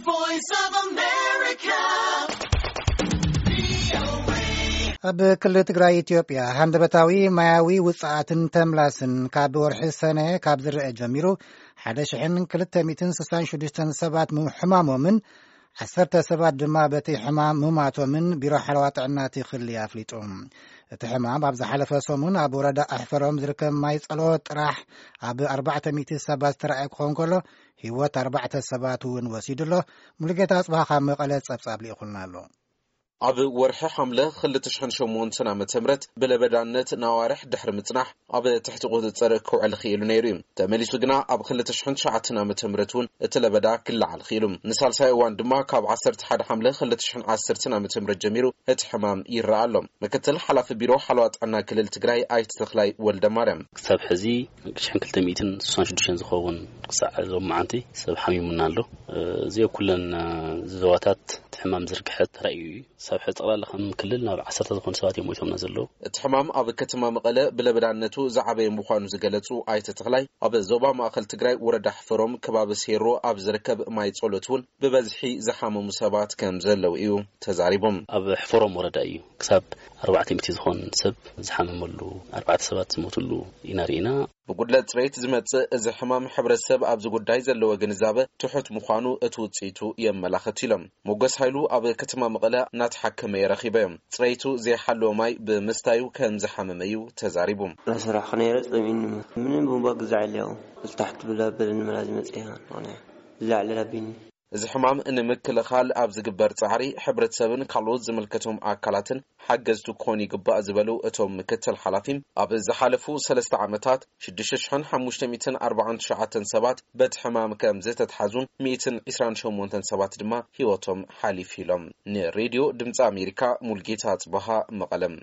Voice of America. ኣብ ክልል ትግራይ ኢትዮጵያ ሃንደበታዊ ማያዊ ውፅኣትን ተምላስን ካብ ወርሒ ሰነ ካብ ዝረአ ጀሚሩ ሓደ ሽሕን ክልተ ሚእትን ስሳን ሽዱሽተን ሰባት ምሕማሞምን ዓሰርተ ሰባት ድማ በቲ ሕማም ምማቶምን ቢሮ ሓለዋ ጥዕና እቲ ክልል ኣፍሊጡ። እቲ ሕማም ኣብ ዝሓለፈ ሰሙን ኣብ ወረዳ ኣሕፈሮም ዝርከብ ማይ ጸሎት ጥራሕ ኣብ ኣርባዕተ ሚእቲ ሰባት ዝተረኣየ ክኸውን ከሎ ህይወት ኣርባዕተ ሰባት እውን ወሲዱ ኣሎ። ሙሉጌታ ኣጽብሃ ካብ መቐለ ጸብጻብ ልኢኹልና ኣሎ። ኣብ ወርሒ ሓምለ ክልተ ሽሕን ሸሞንተን ዓመተ ምህረት ብለበዳነት ነዋርሕ ድሕሪ ምጽናሕ ኣብ ትሕቲ ቁጽጽር ክውዕል ክኢሉ ነይሩ እዩ። ተመሊሱ ግና ኣብ ክልተ ሽሕን ትሽዓተን ዓመተ ምህረት እውን እቲ ለበዳ ክለዓል ክኢሉ። ንሳልሳይ እዋን ድማ ካብ ዓሰርተ ሓደ ሓምለ ክልተ ሽሕን ዓሰርተን ዓመተ ምህረት ጀሚሩ እቲ ሕማም ይረኣ ኣሎ። ምክትል ሓላፊ ቢሮ ሓለዋ ጥዕና ክልል ትግራይ ኣይተ ተኽላይ ወልደ ማርያም። ክሳብ ሕዚ ሽሕን ክልተ ሚእትን ስሳን ሽዱሽተን ዝኸውን ክሳዕ ሎማዓንቲ ሰብ ሓሚሙና ኣሎ። እዚ ኩለን ዞባታት እቲ ሕማም ዝርግሐ ተራእዩ እዩ። ሳብ ሕዚ ጠቕላላ ከም ክልል ናብ ዓሰርተ ዝኾኑ ሰባት እዮም ሞይቶምና ዘለዉ። እቲ ሕማም ኣብ ከተማ መቐለ ብለበዳነቱ ዝዓበየ ምዃኑ ዝገለጹ ኣይተ ተኽላይ፣ ኣብ ዞባ ማእኸል ትግራይ ወረዳ ሕፈሮም ከባቢ ሴሮ ኣብ ዝርከብ ማይ ጸሎት እውን ብበዝሒ ዝሓመሙ ሰባት ከም ዘለዉ እዩ ተዛሪቦም። ኣብ ሕፈሮም ወረዳ እዩ ክሳብ ኣርባዕተ ሚእቲ ዝኾን ሰብ ዝሓመመሉ፣ ኣርባዕተ ሰባት ዝሞትሉ ኢና ርኢና። ብጉድለት ፅሬት ዝመፅእ እዚ ሕማም ሕብረተሰብ ኣብዚ ጉዳይ ዘለዎ ግንዛበ ትሑት ምዃኑ እቲ ውፅኢቱ የመላኽት ኢሎም። ሞገስ ሃይሉ ኣብ ከተማ መቐለ እናተሓከመ የረኺበዮም። ፅሬቱ ዘይሓለወ ማይ ብምስታዩ ከም ዝሓመመ እዩ ተዛሪቡ። ላሰራሕኩ ነይረ ጸሚኒ ምንም ቡምባ ግዛዕ ኢለያው ልታሕት ብላ በለኒ መላ ዝመጽእ ምኽንያ ዝላዕለ ላቢኒ። እዚ ሕማም ንምክልኻል ኣብ ዝግበር ጻዕሪ ሕብረተሰብን ካልኦት ዝምልከቶም ኣካላትን ሓገዝቲ ክኾኑ ይግባእ ዝበሉ እቶም ምክትል ሓላፊ፣ ኣብ ዝሓለፉ ሰለስተ ዓመታት ሽዱሽተ ሽሕን ሓሙሽተ ሚእትን ኣርባዓን ትሽዓተን ሰባት በቲ ሕማም ከም ዝተትሓዙን ሚእትን ዕስራን ሸሞንተን ሰባት ድማ ህይወቶም ሓሊፉ ኢሎም። ንሬድዮ ድምፂ ኣሜሪካ ሙልጌታ ጽበሃ መቐለም።